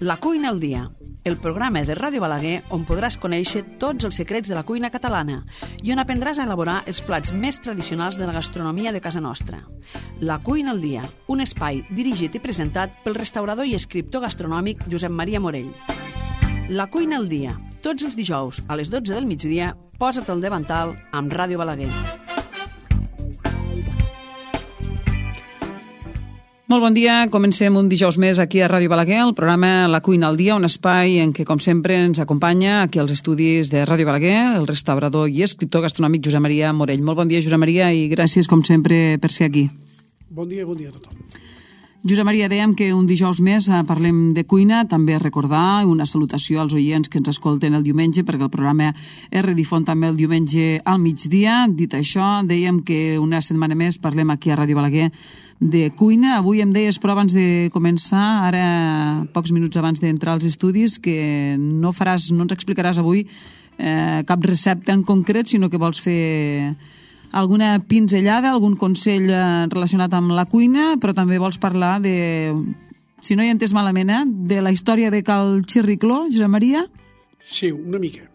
La cuina al dia, el programa de Ràdio Balaguer on podràs conèixer tots els secrets de la cuina catalana i on aprendràs a elaborar els plats més tradicionals de la gastronomia de casa nostra. La cuina al dia, un espai dirigit i presentat pel restaurador i escriptor gastronòmic Josep Maria Morell. La cuina al dia, tots els dijous a les 12 del migdia, posa't al davantal amb Ràdio Balaguer. Molt bon dia, comencem un dijous més aquí a Ràdio Balaguer, el programa La cuina al dia, un espai en què, com sempre, ens acompanya aquí als estudis de Ràdio Balaguer el restaurador i escriptor gastronòmic Josep Maria Morell. Molt bon dia, Josep Maria, i gràcies, com sempre, per ser aquí. Bon dia a tothom. Josep Maria, dèiem que un dijous més parlem de cuina, també recordar una salutació als oients que ens escolten el diumenge, perquè el programa es redifon també el diumenge al migdia. Dit això, dèiem que una setmana més parlem aquí a Ràdio Balaguer de cuina. Avui em deies, però abans de començar, ara pocs minuts abans d'entrar als estudis, que no ens explicaràs avui cap recepta en concret, sinó que vols fer alguna pinzellada, algun consell relacionat amb la cuina, però també vols parlar de, si no hi entès malament, de la història de Cal Xirricló, Josep Maria? Sí, una mica.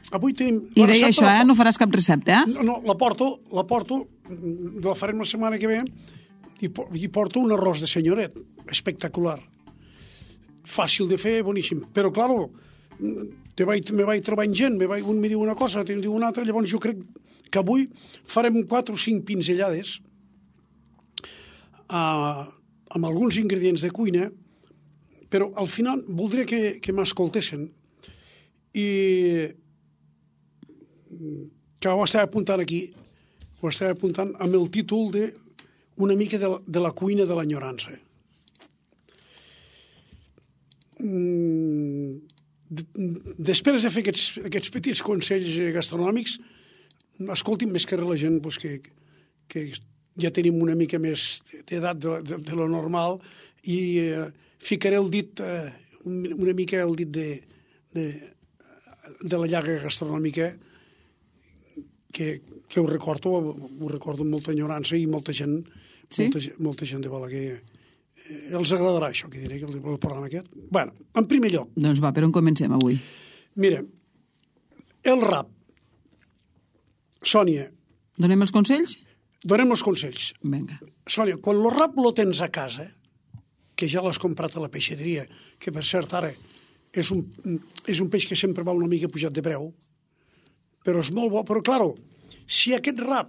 Avui tenim... I deia això, no faràs cap recepta, No, la porto, la farem la setmana que ve, i porto un arròs de senyoret, espectacular. Fàcil de fer, boníssim. Però, claro, me vaig trobant gent, un me diu una cosa, l'altre em diu una altra, llavors jo crec que avui farem 4 o 5 pinzellades amb alguns ingredients de cuina, però al final voldria que m'escoltessin i que ho estava apuntant aquí, ho estava apuntant amb el títol de una mica de la cuina de l'enyorança. Després de fer aquests petits consells gastronòmics, escolti'm, més que res la gent que ja tenim una mica més d'edat de lo normal i ficaré el dit, una mica el dit de la llaga gastronòmica que ho recordo amb molta enyorança i molta gent, sí? molta gent de Balaguer. Els agradarà això que diré, el programa aquest. Bueno, en primer lloc... Doncs va, per on comencem avui? Mira, el rap. Sònia. Donem els consells? Donem els consells. Vinga. Sònia, quan el rap lo tens a casa, que ja l'has comprat a la peixateria, que per cert ara és un peix que sempre va una mica pujat de preu, però és molt bo. Però, claro, si aquest rap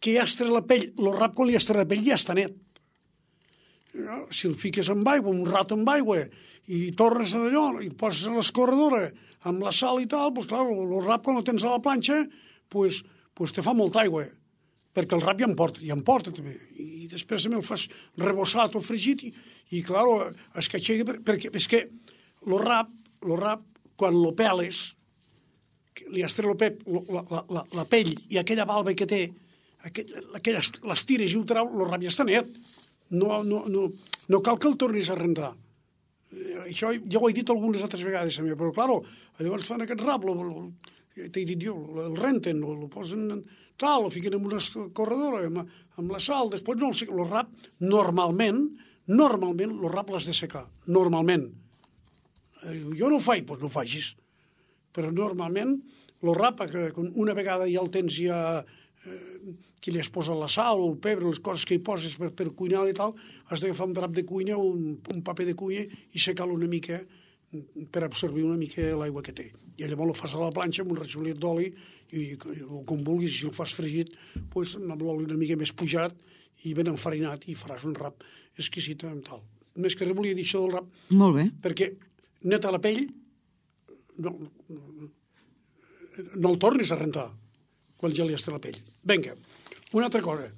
que ja has tret la pell, el rap quan li has tret la pell ja està net. Si el fiques amb aigua, un rato amb aigua, i tornes a allò, i el poses a l'escorredora amb la sal i tal, doncs, clar, el rap quan el tens a la planxa, doncs te fa molta aigua, perquè el rap ja en porta també. I després també el fas rebossat o fregit, i clar, escatxega, perquè és que el rap, quan lo peles, li has tret la pell i aquella valva que té, les tires i ho trau, el rap ja està net. No cal que el tornis a rentar. Això ja ho he dit algunes altres vegades també, però clar, llavors fan aquest rap, t'he dit jo, el renten, el posen tal, el fiquen en una corredora amb la sal, després no el rap normalment el rap l'has de secar, normalment. Jo no ho faig, doncs no ho facis, però normalment el rap, una vegada ja el tens ja que li has posat la sal o el pebre, les coses que hi poses per cuinar i tal, has d'agafar un drap de cuina, un paper de cuina i secar-lo una mica per absorbir una mica l'aigua que té. I llavors el fas a la planxa amb un ratxolet d'oli i com vulguis, si el fas fregit, doncs amb l'oli una mica més pujat i ben enfarinat i faràs un rap exquisit amb tal. Més que res volia dir això del rap. Molt bé. Perquè neta la pell no el tornis a rentar quan ja li has tret la pell. Vinga, una altra cosa.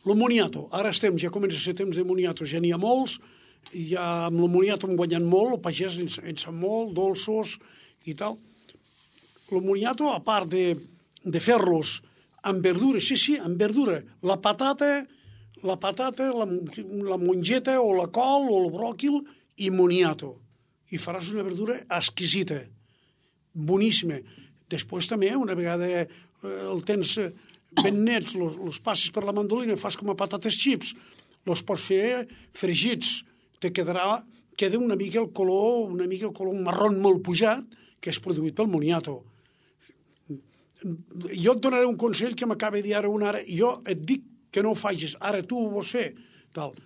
Lo moniato. Ara ja comença a ser temps de moniato. Ja n'hi ha molts. Ja amb lo moniato hem guanyat molt. El pagès en sap molt, dolços i tal. Lo moniato, a part de fer-los amb verdura, sí, amb verdura. La patata, la mongeta o la col o el bròquil i moniato. I faràs una verdura exquisita. Boníssima. Després també, una vegada el tens ben nets, els passes per la mandolina, fas com a patates xips, els pots fer fregits, queda una mica el color marró molt pujat, que és produït pel moniato. Jo et donaré un consell que m'acaba de dir ara una ara. Jo et dic que no ho facis. Ara tu ho vols fer. Tal.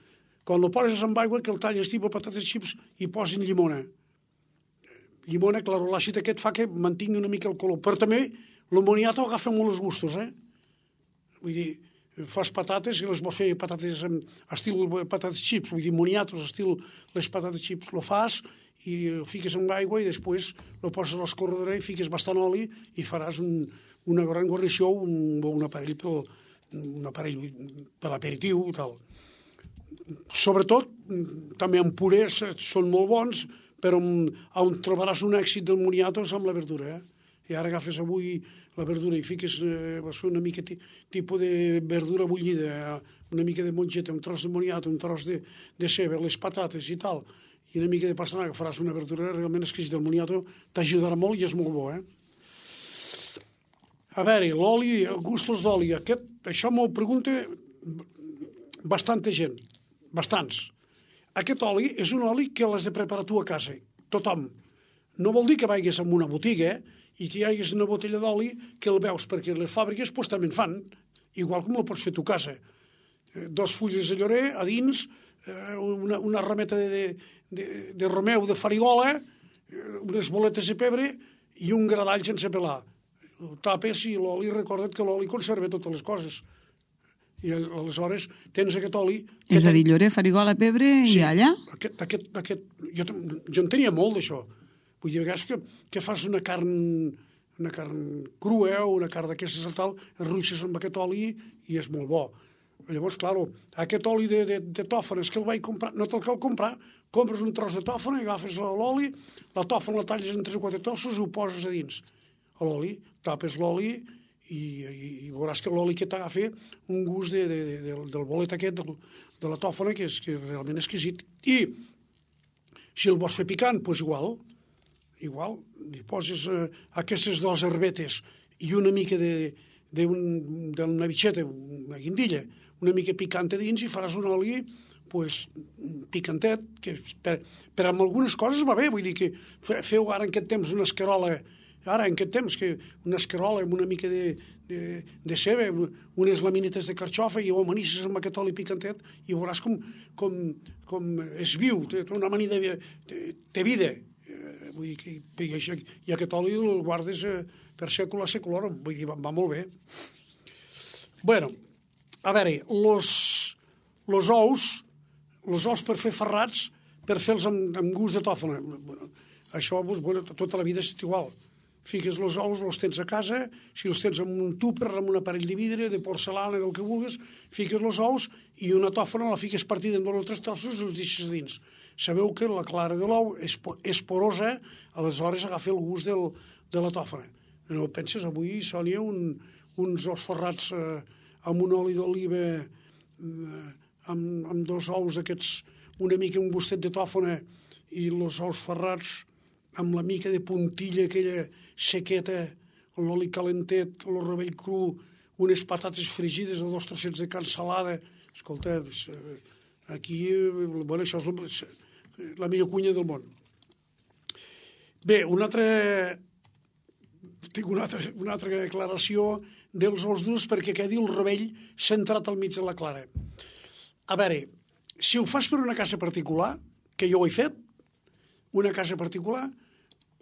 Quan ho poses amb aigua, que el talles tipus patates xips i posin llimona. Llimona, clar, l'àcid aquest fa que mantingui una mica el color. Però també el moniato agafa molt els gustos, Vull dir, fas patates i les vols fer patates estil patates xips, vull dir, moniatos estil les patates xips. Lo fas i ho fiques amb aigua i després lo poses a l'escorredora i fiques bastant oli i faràs una gran guarnició, un aparell per l'aperitiu i tal. Sobretot, també en purés són molt bons, però on trobaràs un èxit del moniato és amb la verdura, I ara agafes avui la verdura i fiques una mica tipus de verdura bullida, una mica de mongeta, un tros de moniato, un tros de ceba, les patates i tal, i una mica de pastanaga, faràs una verdura realment exquisita. El moniato t'ajudarà molt i és molt bo, A veure, l'oli, gustos d'oli, això m'ho pregunta bastanta gent, bastants. Aquest oli és un oli que l'has de preparar tu a casa, tothom. No vol dir que vagis a una botiga i que hi hagués una botella d'oli que el veus, perquè les fàbriques també en fan, igual com el pots fer a tu casa. 2 fulles de llorer a dins, una rameta de romeu de farigola, unes boletes de pebre i un gra d'all sense pelar. Ho tapes i l'oli, recorda't que l'oli conserva totes les coses. I aleshores tens aquest oli... És a dir, llorer, farigola, pebre i alla? Jo en tenia molt d'això. Vull dir, a vegades que fas una carn crua o una carn d'aquestes i tal, enruixes amb aquest oli i és molt bo. Llavors, clar, aquest oli de tòfones que el vaig comprar, no te'l cal comprar, compres un tros de tòfona, agafes l'oli, la tòfona la talles en 3 o 4 trossos i ho poses a dins. A l'oli, tapes l'oli i veuràs que l'oli que t'agafa un gust del bolet aquest, de la tòfona, que és realment exquisit. I si el vols fer picant, doncs igual, li poses aquestes 2 herbetes i una mica d'una bitxeta, una guindilla, una mica picant a dins i faràs un oli picantet, que per amb algunes coses va bé, vull dir que feu ara en aquest temps una escarola, una escarola amb una mica de ceba, unes laminetes de carxofa i ho amanisses amb aquest oli picantet i veuràs com és viu, té una manida, té vida. Vull dir que i aquest oli el guardes per sècula a sècula, vull dir, va molt bé. Bueno, a veure, los ous per fer ferrats, per fer-los amb gust de tòfona. Això tota la vida és igual. Fiques els ous, els tens a casa, si els tens en un tupper, en un aparell de vidre, de porcelana, del que vulguis, fiques els ous i una tòfona la fiques partida en 2 o 3 trossos i els deixes dins. Sabeu que la clara de l'ou és porosa, aleshores agafa el gust de la tòfona. No penses, avui, Sònia, uns ous ferrats amb un oli d'oliva, amb 2 ous d'aquests, una mica un gustet de tòfona i els ous ferrats amb la mica de puntilla aquella sequeta, l'oli calentet, el rovell cru, unes patates frigides o 2 trossets de carn salada. Escolta, aquí, això és la millor cuina del món. Bé, tinc una altra declaració dels ous durs perquè quedi el rovell centrat al mig de la clara. A veure, si ho fas per una casa particular, que jo ho he fet, una casa particular,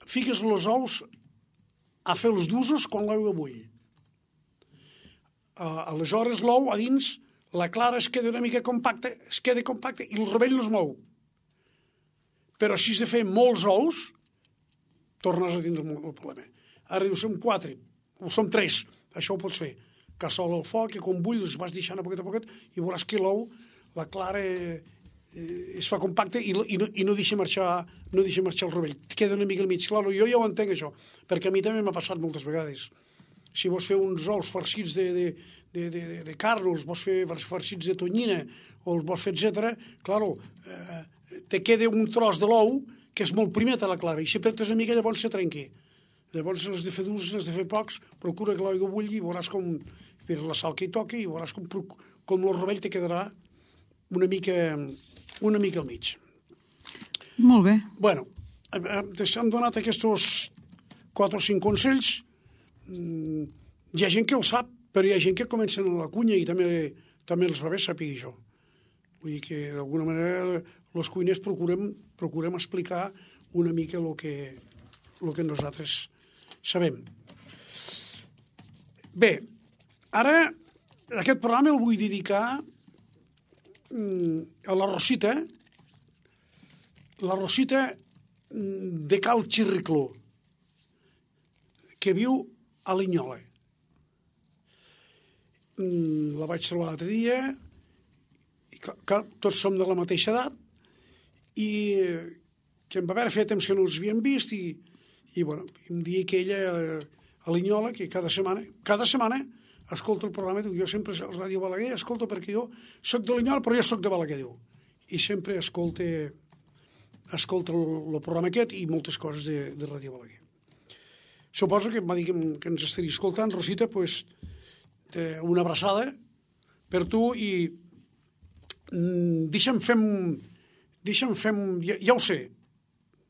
fiques els ous a fer els d'usos quan l'aigua bull. Aleshores, l'ou a dins, la clara es queda una mica compacta, i el rovell no es mou. Però si has de fer molts ous, tornes a tindre el problema. Ara dius, som 4, o som 3, això ho pots fer. Cassola al foc, i quan bull els vas deixant a poquet, i veuràs que l'ou, la clara es fa compacta i no deixa marxar el rovell. Queda una mica al mig. Claro, jo ja ho entenc, això, perquè a mi també m'ha passat moltes vegades. Si vols fer uns ous farcits de carn, o els vols fer farcits de tonyina, o els vols fer, etc., claro, te queda un tros de l'ou que és molt primet a la clara, i si apretes una mica llavors se trenqui. Llavors has de fer durs, has de fer pocs, procura que l'aigua bulli i veuràs com, per la sal que hi toqui, i veuràs com el rovell te quedarà una mica al mig. Molt bé. Bueno, hem donat aquests 4 o 5 consells. Hi ha gent que el sap, però hi ha gent que comencen a la cuina i també els va bé saber això. Vull dir que, d'alguna manera, els cuiners procurem explicar una mica el que nosaltres sabem. Bé, ara aquest programa el vull dedicar a la Rosita de Cal Xirricló, que viu a Linyola. La vaig trobar l'altre dia, i clar, tots som de la mateixa edat, i que em va haver fet temps que no els havíem vist, i bueno, em dia que ella a Linyola, que cada setmana escolta el programa, diu, jo sempre a Ràdio Balaguer escolto perquè jo soc de Linyola, però jo soc de Balaguer, diu. I sempre escolta el programa aquest i moltes coses de Ràdio Balaguer. Suposo que em va dir que ens estaria escoltant. Rosita, doncs, una abraçada per tu i deixa'm fem, ja ho sé,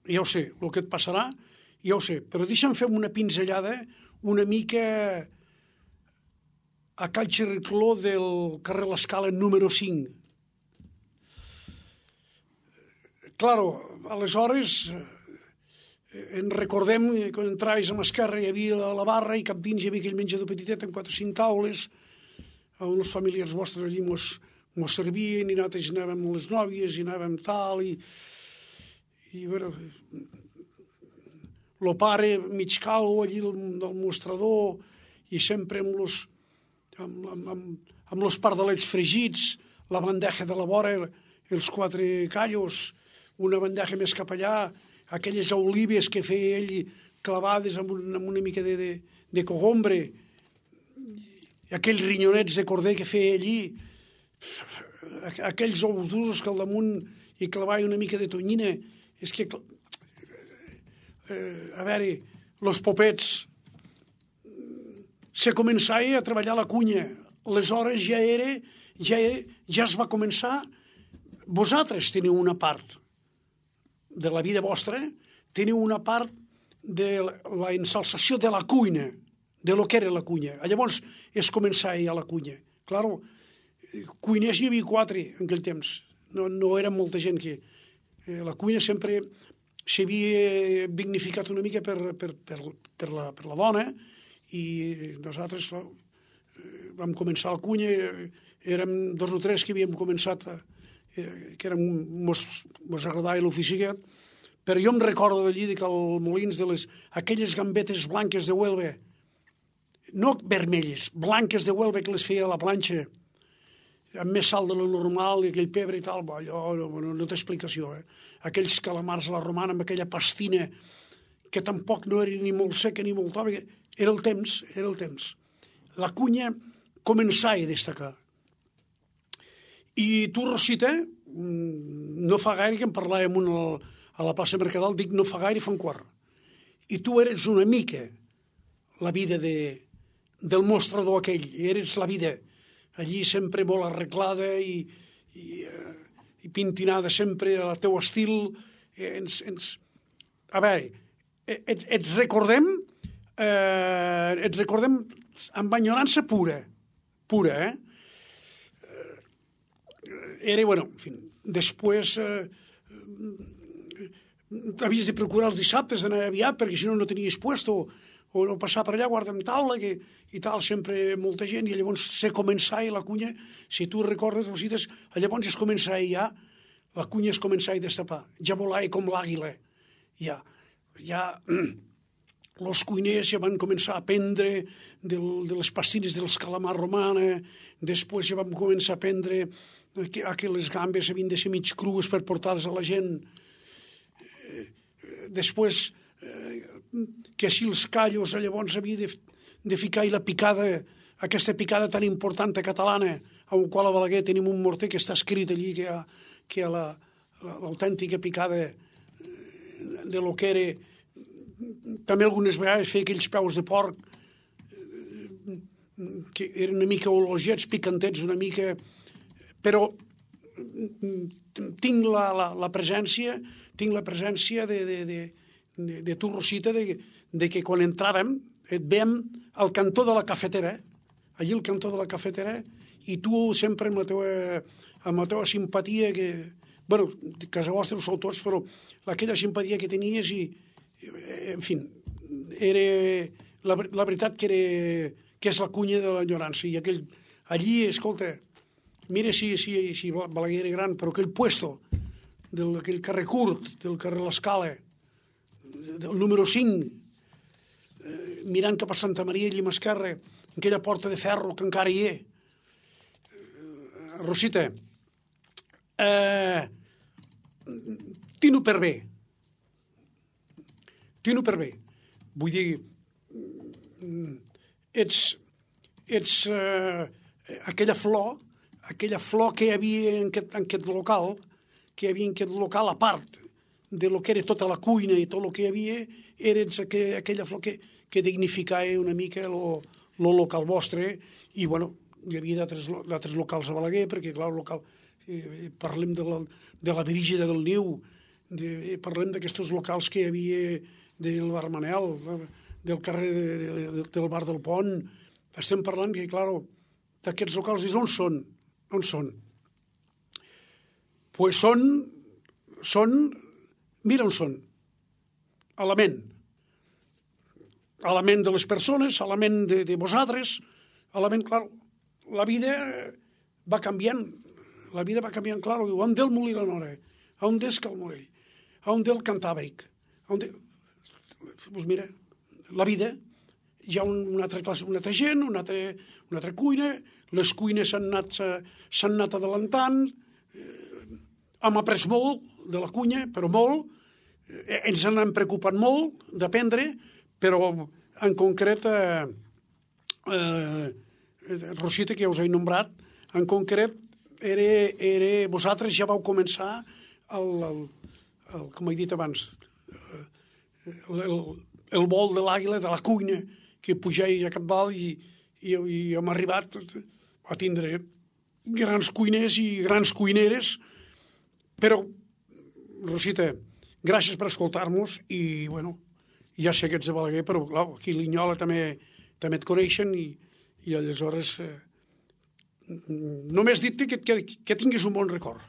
el que et passarà, ja ho sé, però deixa'm fer una pinzellada una mica a Cal Xirricló del carrer L'Escala número 5. Claro, aleshores en recordem que quan entraves a l'esquerra hi havia la barra i cap dins hi havia aquell menjador petitet amb 4 o 5 taules, uns familiars vostres allí mos servien i nosaltres anàvem amb les nòvies i anàvem tal i bueno, el pare mig calvo allí del mostrador i sempre amb els pardalets fregits, la bandeja de la vora, els 4 callos, una bandeja més cap allà, aquelles olives que feia ell clavades amb una mica de cogombre, aquells rinyonets de corder que feia allí, aquells ous durs que al damunt hi clavava una mica de tonyina. És que, a veure, els popets, se començava a treballar la cunya. Aleshores ja es va començar. Vosaltres teniu una part de la vida vostra, teniu una part de la ensalsació de la cuina, de lo que era la cunya. Llavors es començava ja la cunya. Claro, cuiners hi havia 4 en aquell temps. No era molta gent que... La cuina sempre s'havia dignificat una mica per la dona i nosaltres vam començar la cunya, érem 2 o 3 que havíem començat, que mos agradava l'ofici aquest, però jo em recordo d'allí que al Molins de aquelles gambetes blanques de Huelva, no vermelles, blanques de Huelva que les feia a la planxa, amb més sal de lo normal i aquell pebre i tal, allò no té explicació. Aquells calamars a la romana amb aquella pastina que tampoc no era ni molt seca ni molt tova, era el temps. La cunya començava a destacar. I tu, Rosita, no fa gaire que em parlàvem a la plaça Mercadal, dic no fa gaire, fa un quart. I tu eres una mica la vida del mostrador aquell, eres la vida allí sempre molt arreglada i pintinada sempre al teu estil. A veure, et recordem amb enyorança pura, Era, bueno, en fi, després havies de procurar els dissabtes d'anar aviat perquè si no tenies puesto o no passar per allà, guarda'm taula, i tal, sempre molta gent, i llavors se començava la cunya, si tu recordes, Rosites, llavors es començava ja, la cunya es començava a destapar, ja volava com l'àguila, ja els cuiners ja van començar a aprendre de les pastines dels calamars romana, després ja vam començar a aprendre que les gambes havien de ser mig crues per portar-les a la gent, després que si els callos llavors havia de ficar-hi la picada, aquesta picada tan important catalana, amb la qual a Balaguer tenim un morter que està escrit allí, que l'autèntica picada de lo que era. També algunes vegades feia aquells peus de porc que eren una mica ologets, picantets una mica, però tinc la presència de tu, Rosita, de que quan entràvem et veiem al cantó de la cafetera, allí al cantó de la cafetera, i tu sempre amb la teva simpatia, que, bueno, casa vostra ho sou tots, però aquella simpatia que tenies i, en fi, era la veritat que és la cunya de l'enyorança. I allí, escolta, mira si Balaguer era gran, però aquell puesto d'aquell carrer curt, del carrer L'Escala, del número 5, mirant cap a Santa Maria i Llimascarra, aquella porta de ferro que encara hi és. Rosita, tino per bé. Vull dir, ets aquella flor que hi havia en aquest local, a part de lo que era tota la cuina i tot el que hi havia, eres aquella flor que dignificava una mica lo local vostre. I, bueno, hi havia d'altres locals a Balaguer, perquè, clar, parlem de la Brígida del Niu, parlem d'aquests locals que hi havia del bar Manel, del carrer del bar del Pont. Estem parlant que, clar, d'aquests locals, on són? On són? Pues són, mira on són, a la ment de les persones, a la ment de vosaltres, a la ment, clar, la vida va canviant, clar, on del Molí la Nora, on des Cal Morell, on del Cantàbric, doncs mira, la vida, hi ha una altra classe, una altra gent, una altra cuina, les cuines s'han anat adelantant, hem après molt de la cuina, però molt, ens n'hem preocupat molt d'aprendre, però en concret, Rosita, que ja us he nombrat, en concret, vosaltres ja vau començar, com he dit abans, el vol de l'àguila, de la cuina, que pujava a Catbal i hem arribat a tindre grans cuiners i grans cuineres. Però, Rosita, gràcies per escoltar-nos i, bueno, ja sé que ets de Balaguer, però, clar, aquí a Linyola també et coneixen i aleshores només dir-te que tinguis un bon record.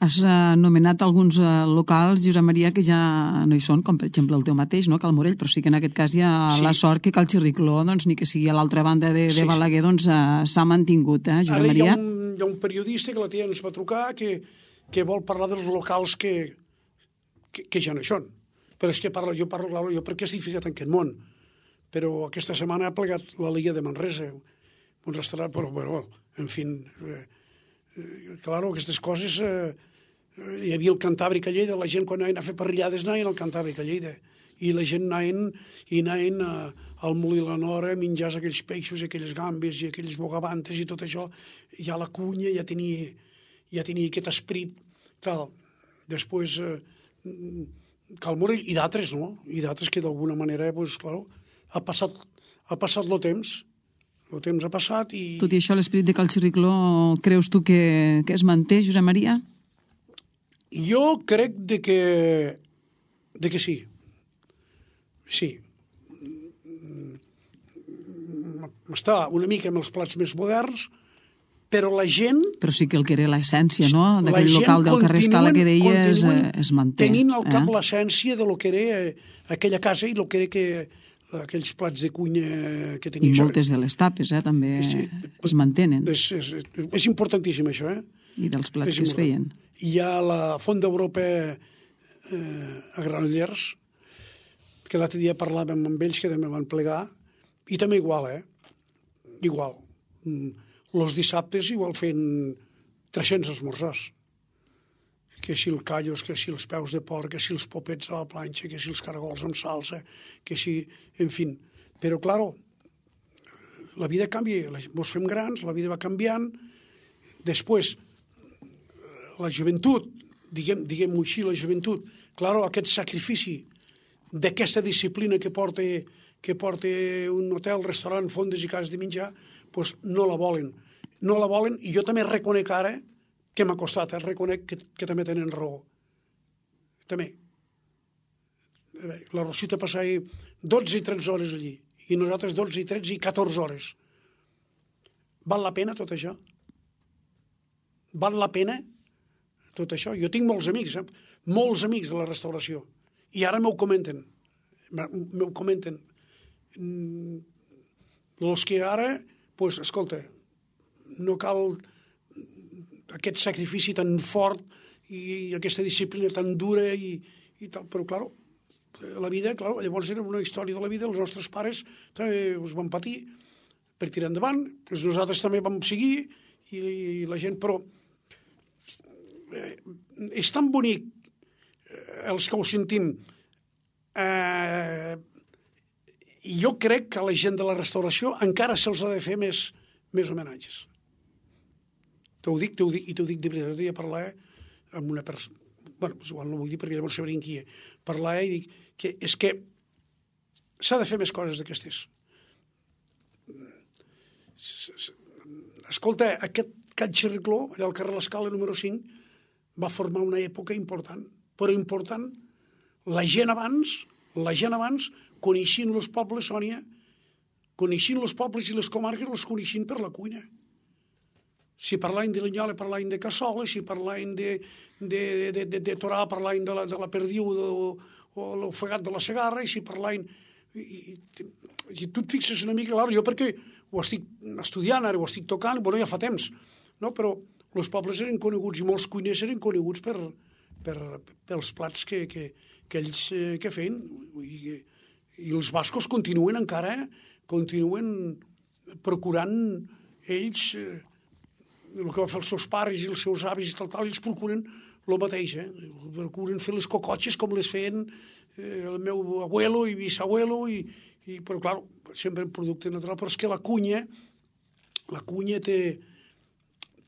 Has anomenat alguns locals, Josep Maria, que ja no hi són, com per exemple el teu mateix, no? Cal Morell, però sí que en aquest cas hi ha la sort que Cal Xirricló, doncs, ni que sigui a l'altra banda de Balaguer, doncs s'ha mantingut, Josep Maria? Ara hi ha un periodista que la tia ens va trucar que vol parlar dels locals que ja no hi són. Però és que jo parlo, jo perquè estic ficat en aquest món. Però aquesta setmana ha plegat la Liga de Manresa, un restaurant, però, en fi, claro, aquestes coses... Hi havia el Cantàbric a Lleida, la gent quan anaven a fer parrillades anaven al Cantàbric a Lleida, i la gent anaven al Molí la Nora, menjars aquells peixos, aquelles gambes i aquelles bogavantes i tot això, ja la cunya ja tenia aquest esperit. Clar, després Cal Morell i d'altres, no? I d'altres que d'alguna manera, doncs, clar, ha passat el temps ha passat i... Tot i això, l'esperit de Cal Xirricló, creus tu que es manté, Josep Maria? Jo crec de que sí. Sí. Està una mica amb els plats més moderns, però la gent... Però sí que el que era l'essència, no?, d'aquell local del carrer Escala que deies es manté. Tenint al cap l'essència de lo que era aquella casa i lo que era aquells plats de cuina que tenia. I moltes de les tapes, també es mantenen. És importantíssim, això, I dels plats que es feien. Hi ha la Font d'Europa a Granollers, que l'altre dia parlàvem amb ells, que també van plegar, i també igual, igual. Els dissabtes igual fent 300 esmorzars. Que si el callos, que si els peus de porc, que si els popets a la planxa, que si els caragols amb salsa, que si... En fi. Però, claro, la vida canvia, ens fem grans, la vida va canviant. Després, la joventut, diguem-ho així, la joventut, claro, aquest sacrifici d'aquesta disciplina que porta un hotel, restaurant, fondes i cases de menjar, doncs no la volen. No la volen, i jo també reconec ara que m'ha costat, reconec que també tenen raó. També. La Rosita passava 12 i 13 hores allí, i nosaltres 12 i 13 i 14 hores. Val la pena tot això? Val la pena tot això? Jo tinc molts amics de la restauració, i ara m'ho comenten. Els que ara, doncs, escolta, no cal aquest sacrifici tan fort i aquesta disciplina tan dura i tal, però, clar, la vida, clar, llavors era una història de la vida, els nostres pares també us van patir per tirar endavant, doncs nosaltres també vam seguir, i la gent, però és tan bonic els que ho sentim. Jo crec que a la gent de la restauració encara se'ls ha de fer més homenatges. T'ho dic de veritat. Jo parlar amb una persona, bueno, igual no vull dir perquè llavors sabrien qui és, parlar i dic que és que s'ha de fer més coses d'aquestes. Escolta, aquest Cal Xirricló, allà al carrer L'Escala número 5, va formar una època important, però important. La gent abans coneixien els pobles, Sònia, coneixien els pobles i les comarques, els coneixien per la cuina. Si parlaven de Linyola, parlaven de cassola, si parlaven de Torà, parlaven de la perdiu o l'ofegat de la Segarra, i si parlaven... I tu et fixes una mica, clar, jo perquè ho estic estudiant, ara ho estic tocant, bueno, ja fa temps, no? Però els pobles eren coneguts i molts cuiners eren coneguts pels plats que ells feien. I els bascos continuen procurant ells el que va fer els seus pares i els seus avis i tal, ells procuren el mateix, procuren fer les cocotxes com les feien el meu abuelo i bisabuelo, però clar, sempre en producte natural, però és que la cunya té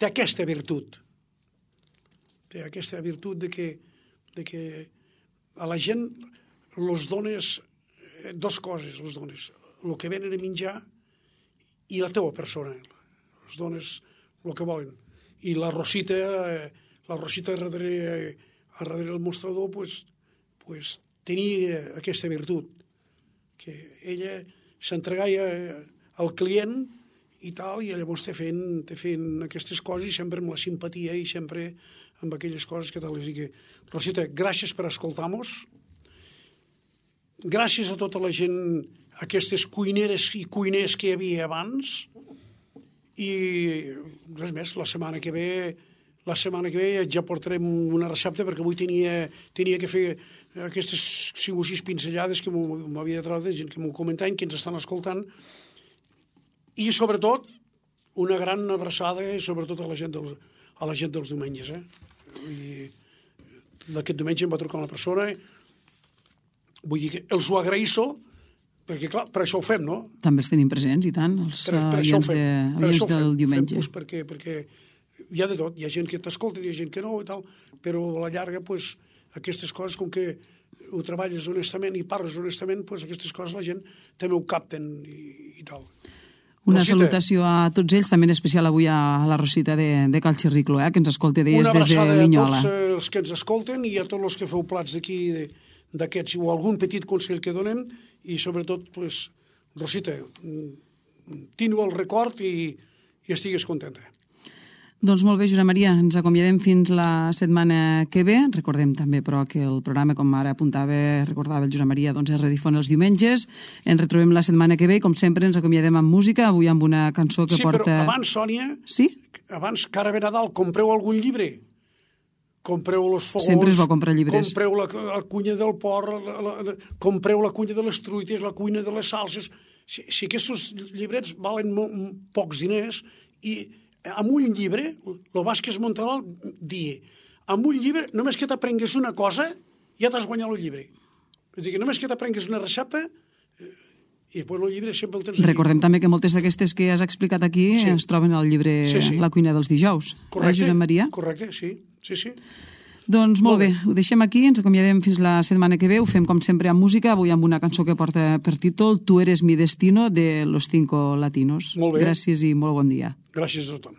aquesta virtut. Té aquesta virtut de que a la gent els dones dues coses, el que venen a menjar i la teua persona. Els dones el que volen. I la Rosita darrere el mostrador pues, tenia aquesta virtut, que ella s'entregava al client i tal, i llavors te fent aquestes coses, i sempre amb la simpatia i sempre amb aquelles coses que tal. Rosita, gràcies per escoltar-nos, gràcies a tota la gent, aquestes cuineres i cuiners que hi havia abans, i res més, la setmana que ve ja portarem una recepta, perquè avui tenia que fer aquestes 5 o 6 pinzellades que m'havia de treure de gent que m'ho comentaven, que ens estan escoltant, i sobretot una gran abraçada sobretot a la gent dels diumenges. I aquest diumenge em va trucar una persona, vull dir que els ho agraïsso, perquè, clar, per això ho fem, no? També els tenim presents, i tant, els oients del diumenge. Perquè hi ha de tot, hi ha gent que t'escolta, hi ha gent que no, i tal, però a la llarga, aquestes coses, com que ho treballes honestament i parles honestament, aquestes coses la gent també ho capten i tal. Una salutació a tots ells, també en especial avui a la Rosita de Cal Xirricló, que ens escolta des de Linyola. Una abraçada a tots els que ens escolten i a tots els que feu plats d'aquí, d'aquests, o algun petit consell que donem, i sobretot, Rosita, teniu el record i estigues contenta. Doncs molt bé, Josep Maria, ens acomiadem fins la setmana que ve. Recordem també, però, que el programa, com ara recordava el Josep Maria, doncs es redifon els diumenges. Ens retrobem la setmana que ve, com sempre ens acomiadem amb música, avui amb una cançó que porta... Sí, però abans, Sònia, abans, cara ve Nadal, compreu algun llibre. Compreu els fogons... Sempre és bo comprar llibres. Compreu la cuina del porc, compreu la cuina de les truites, la cuina de les salses. Si aquests llibrets valen pocs diners, i amb un llibre, el Vázquez Montalbán dia, amb un llibre, només que t'aprengues una cosa, ja t'has guanyat el llibre. És a dir, només que t'aprengues una recepta, i després el llibre sempre el tens aquí. Recordem també que moltes d'aquestes que has explicat aquí es troben al llibre La cuina dels dijous. Correcte, Josep Maria? Correcte, sí. Doncs molt bé, ho deixem aquí, ens acomiadem fins la setmana que ve, ho fem com sempre amb música, avui amb una cançó que porta per títol Tu eres mi destino, de Los Cinco Latinos. Molt bé. Gràcies i molt bon dia. Gràcies a tothom.